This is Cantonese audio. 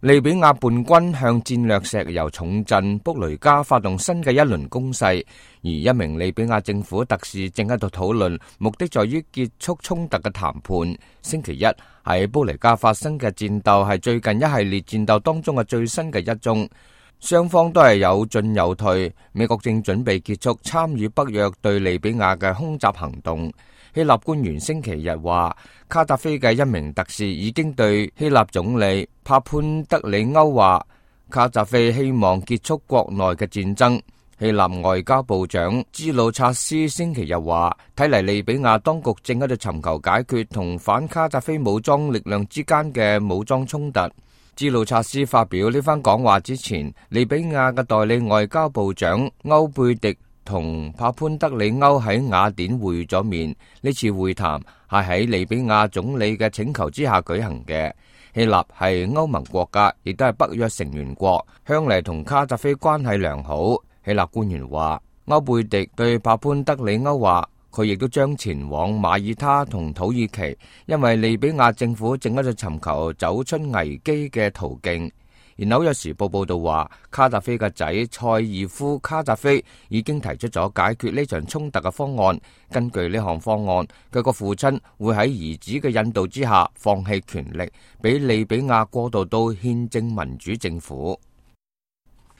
利比亞叛軍向戰略石油重鎮卜雷加發動新嘅一輪攻勢，而一名利比亞政府特使正喺度討論目的在於結束衝突嘅談判。星期一喺卜雷加發生嘅戰鬥係最近一系列戰鬥當中嘅最新嘅一宗，雙方都係有進有退。美國正準備結束參與北約對利比亞嘅空襲行動。希臘官員星期日話，卡達菲嘅一名特使已經對希臘總理帕潘德里歐話，卡達菲希望結束國內嘅戰爭。希臘外交部長茲魯察斯星期日話，睇嚟利比亞當局正喺度尋求解決同反卡達菲武裝力量之間嘅武裝衝突。茲魯察斯發表呢番講話之前，利比亞嘅代理外交部長歐貝迪同帕潘德里歐喺雅典會咗面，呢次會談係喺利比亞總理嘅請求之下舉行嘅。希臘係歐盟國家，亦都係北約成員國，向嚟同卡達菲關係良好。希臘官員話，歐貝迪對帕潘德里歐話，佢亦都將前往馬耳他同土耳其，因為利比亞政府正喺度尋求走出危機嘅途徑。而紐約時報報道話，卡達菲嘅仔塞爾夫卡達菲已經提出咗解決呢場衝突嘅方案。根據呢項方案，佢個父親會喺兒子嘅引導之下放棄權力，俾利比亞過渡到憲政民主政府。